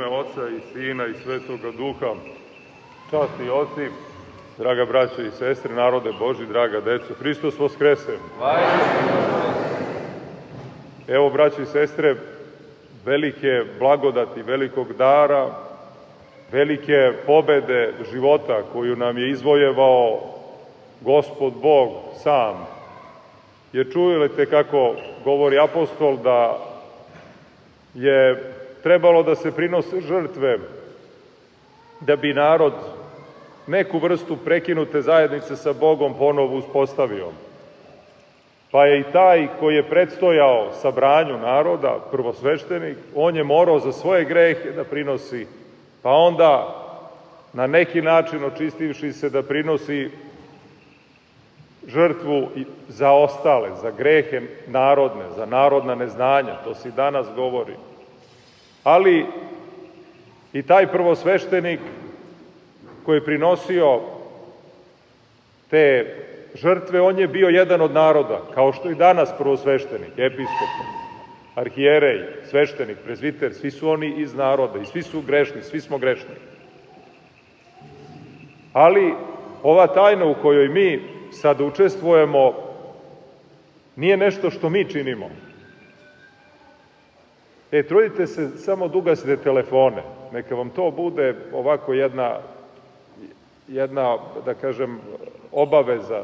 ime Oca i Sina i Svetoga Duha. Časni oci, draga braćo i sestre, narode Božji, draga deco, Hristos Voskrese! Evo, braćo i sestre, velike blagodati, velikog dara, velike pobede života koju nam je izvojevao Gospod Bog sam. Jer čujete kako govori apostol da je trebalo da se prinose žrtve da bi narod neku vrstu prekinute zajednice sa Bogom ponovo uspostavio. Pa je i taj koji je predstojao sabranju naroda, prvosveštenik, on je morao za svoje grehe da prinosi, pa onda na neki način očistivši se da prinosi žrtvu za ostale, za grehe narodne, za narodna neznanja, to se i danas govori. Ali i taj prvosveštenik koji je prinosio te žrtve, on je bio jedan od naroda, kao što i danas prvosveštenik, episkop, arhijerej, sveštenik, prezviter, svi su oni iz naroda i svi su grešni, svi smo grešni. Ali ova tajna u kojoj mi sad učestvujemo nije nešto što mi činimo. Trudite se samo da ugasite telefone, neka vam to bude ovako jedna, da kažem, obaveza.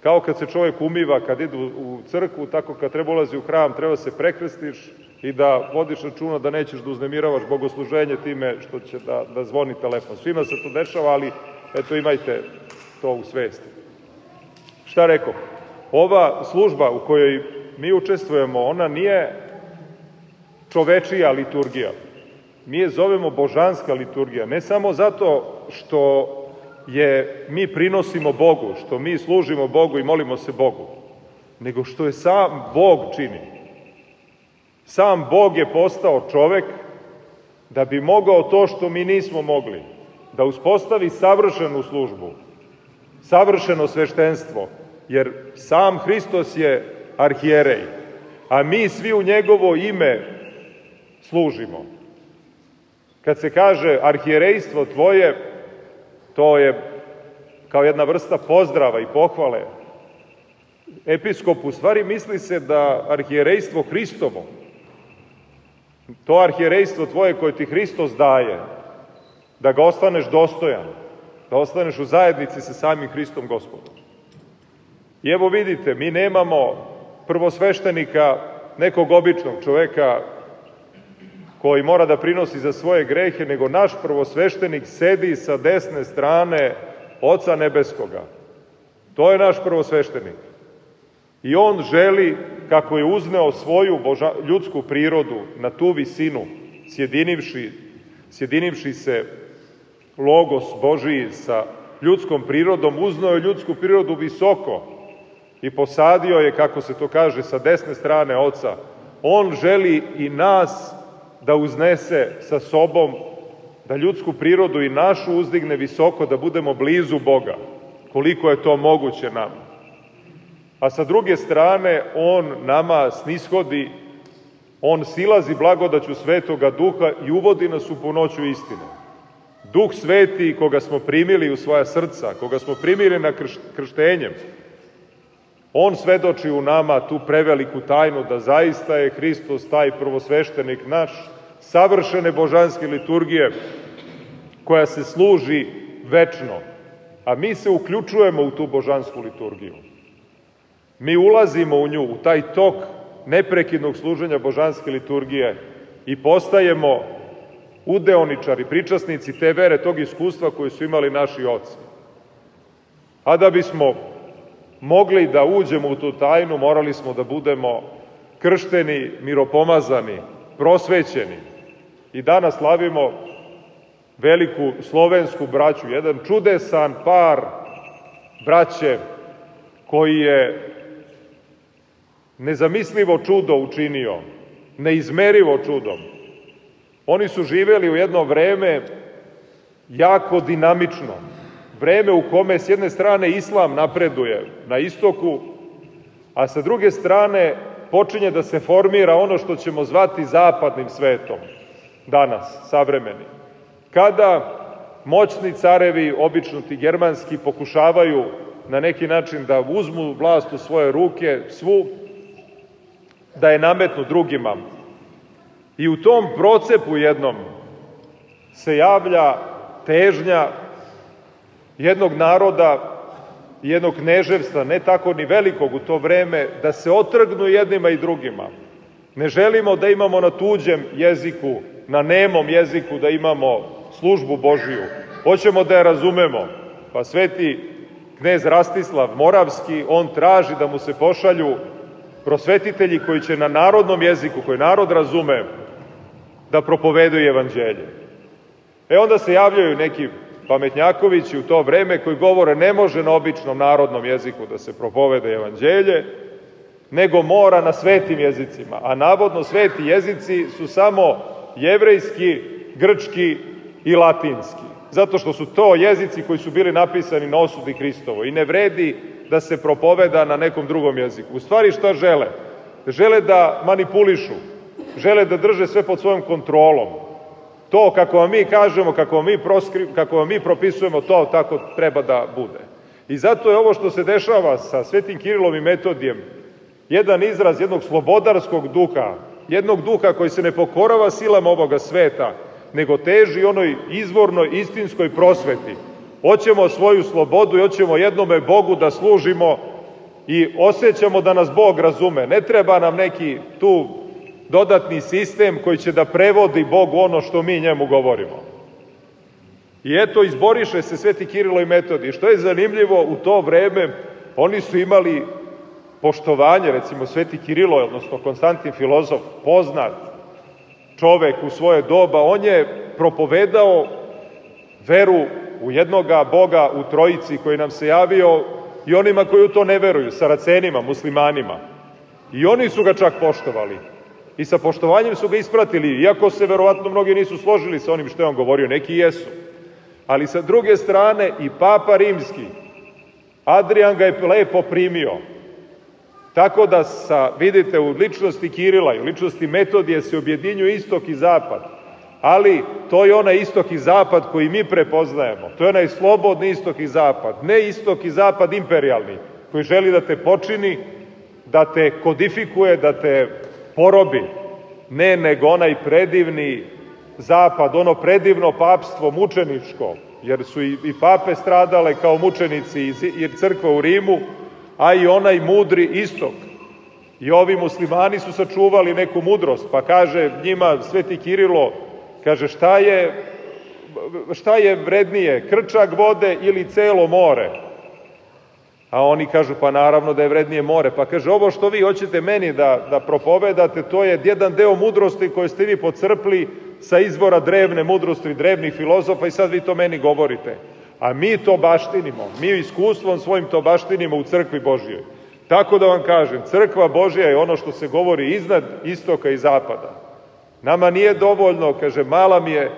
Kao kad se čovjek umiva, kad ide u crkvu, tako kad treba ulazi u hram, treba se prekrstiš i da vodiš računa da nećeš da uznemiravaš bogosluženje time što će da zvoni telefon. Svima se to dešava, ali eto, imajte to u svesti. Šta rekao? Ova služba u kojoj mi učestvujemo, ona nije čovečija liturgija. Mi je zovemo božanska liturgija, ne samo zato što mi prinosimo Bogu, što mi služimo Bogu i molimo se Bogu, nego što je sam Bog čini. Sam Bog je postao čovek da bi mogao to što mi nismo mogli, da uspostavi savršenu službu, savršeno sveštenstvo, jer sam Hristos je arhijerej, a mi svi u njegovo ime služimo. Kad se kaže arhijerejstvo tvoje, to je kao jedna vrsta pozdrava i pohvale. Episkop u stvari misli se da arhijerejstvo Hristovo, to arhijerejstvo tvoje koje ti Hristos daje, da ga ostaneš dostojan, da ostaneš u zajednici sa samim Hristom Gospodom. I evo vidite, mi nemamo prvosveštenika, nekog običnog čoveka koji mora da prinosi za svoje grehe, nego naš prvosveštenik sedi sa desne strane Oca Nebeskoga. To je naš prvosveštenik. I on želi, kako je uzneo svoju ljudsku prirodu na tu visinu, sjedinivši se Logos Božiji sa ljudskom prirodom, uzneo je ljudsku prirodu visoko i posadio je, kako se to kaže, sa desne strane Oca. On želi i nas da uznese sa sobom, da ljudsku prirodu i našu uzdigne visoko, da budemo blizu Boga, koliko je to moguće nam. A sa druge strane, on nama snishodi, on silazi blagodaću Svetoga Duha i uvodi nas u punoću istine. Duh Sveti, koga smo primili u svoja srca, koga smo primili na krštenjem, on svedoči u nama tu preveliku tajnu da zaista je Hristos taj prvosveštenik naš, savršene božanske liturgije koja se služi večno, a mi se uključujemo u tu božansku liturgiju. Mi ulazimo u nju, u taj tok neprekidnog služenja božanske liturgije i postajemo udeoničari, pričasnici te vere, tog iskustva koje su imali naši oci. A da bismo mogli da uđemo u tu tajnu, morali smo da budemo kršteni, miropomazani, prosvećeni. I danas slavimo veliku slovensku braću, jedan čudesan par braće koji je nezamislivo čudo učinio, neizmerivo čudom. Oni su živeli u jedno vreme jako dinamično, vreme u kome s jedne strane islam napreduje na istoku, a sa druge strane počinje da se formira ono što ćemo zvati zapadnim svetom. danas, savremeni. Kada moćni carevi, obično ti germanski, pokušavaju na neki način da uzmu vlast u svoje ruke, svu, da je nametnu drugima. I u tom procepu jednom se javlja težnja jednog naroda, jednog kneževstva, ne tako ni velikog u to vreme, da se otrgnu jednima i drugima. Ne želimo da imamo na tuđem jeziku, na nemom jeziku da imamo službu Božiju. Hoćemo da je razumemo. Pa sveti knez Rastislav Moravski, on traži da mu se pošalju prosvetitelji koji će na narodnom jeziku, koji narod razume, da propovedaju evanđelje. Onda se javljaju neki pametnjakovići u to vreme koji govore ne može na običnom narodnom jeziku da se propovede evanđelje, nego mora na svetim jezicima. A navodno sveti jezici su samo jevrejski, grčki i latinski. Zato što su to jezici koji su bili napisani na osudi Hristovo i ne vredi da se propoveda na nekom drugom jeziku. U stvari šta žele? Žele da manipulišu, žele da drže sve pod svojom kontrolom. To kako vam mi kažemo, kako vam mi propisujemo, to tako treba da bude. I zato je ovo što se dešava sa svetim Kirilom i Metodijem jedan izraz jednog slobodarskog duha, jednog duha koji se ne pokorava silama ovoga sveta, nego teži onoj izvornoj istinskoj prosveti. Hoćemo svoju slobodu i hoćemo jednome Bogu da služimo i osjećamo da nas Bog razume. Ne treba nam neki tu dodatni sistem koji će da prevodi Bogu ono što mi njemu govorimo. I eto, izboriše se sveti Kirilo i Metodij. Što je zanimljivo, u to vreme oni su imali poštovanje, recimo sveti Kirilo, odnosno Konstantin filozof, poznat čovek u svoje doba, on je propovedao veru u jednoga Boga u Trojici koji nam se javio i onima koji u to ne veruju, Saracenima, muslimanima. I oni su ga čak poštovali. I sa poštovanjem su ga ispratili, iako se verovatno mnogi nisu složili sa onim što je on govorio, neki jesu. Ali sa druge strane i Papa Rimski, Adrian ga je lepo primio. Tako da vidite, u ličnosti Kirila i u ličnosti Metodije se objedinjuje istok i zapad. Ali to je onaj istok i zapad koji mi prepoznajemo. To je onaj slobodni istok i zapad. Ne istok i zapad imperialni, koji želi da te počini, da te kodifikuje, da te porobi. Ne, nego onaj predivni zapad, ono predivno papstvo, mučeničko, jer su i pape stradale kao mučenici i crkva u Rimu, a i onaj mudri istok. I ovi muslimani su sačuvali neku mudrost, pa kaže njima sveti Kirilo, kaže šta je vrednije, krčak vode ili celo more? A oni kažu, pa naravno da je vrednije more. Pa kaže, ovo što vi hoćete meni da propovedate, to je jedan deo mudrosti koje ste vi pocrpli sa izvora drevne mudrosti, drevnih filozofa i sad vi to meni govorite. A mi to baštinimo, mi iskustvom svojim to baštinimo u crkvi Božijoj. Tako da vam kažem, crkva Božija je ono što se govori iznad istoka i zapada. Nama nije dovoljno, kaže, mala mi je,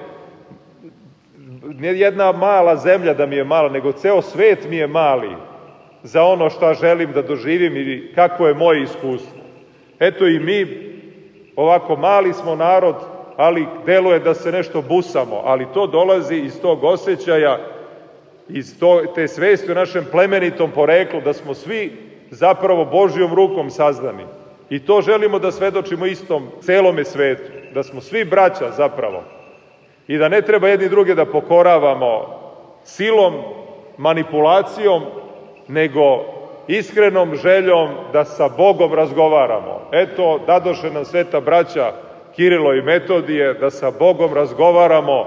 nije jedna mala zemlja da mi je mala, nego ceo svet mi je mali za ono što želim da doživim i kako je moje iskustvo. Eto i mi, ovako mali smo narod, ali deluje da se nešto busamo, ali to dolazi iz tog osjećaja, iz te svesti o našem plemenitom poreklu, da smo svi zapravo Božjom rukom sazdani. I to želimo da svedočimo istom celome svetu, da smo svi braća zapravo. I da ne treba jedni druge da pokoravamo silom, manipulacijom, nego iskrenom željom da sa Bogom razgovaramo. Eto, dadoše nam sveta braća Kirilo i Metodije, da sa Bogom razgovaramo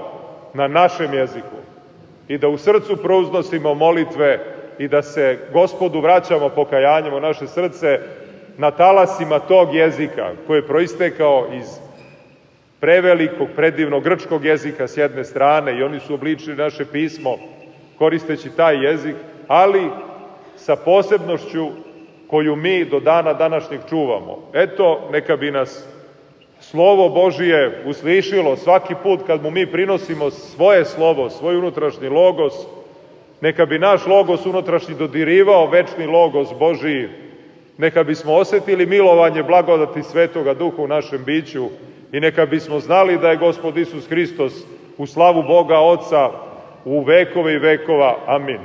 na našem jeziku i da u srcu prouznosimo molitve i da se Gospodu vraćamo pokajanjem u naše srce na talasima tog jezika koji je proistekao iz prevelikog, predivnog grčkog jezika s jedne strane i oni su obličili naše pismo koristeći taj jezik, ali sa posebnošću koju mi do dana današnjeg čuvamo. Eto, neka bi nas Slovo Božije uslišilo svaki put kad mu mi prinosimo svoje slovo, svoj unutrašnji logos, neka bi naš logos unutrašnji dodirivao večni logos Božiji, neka bismo osetili milovanje blagodati Svetoga Duha u našem biću i neka bismo znali da je Gospod Isus Hristos u slavu Boga Oca u vekove i vekova. Amin.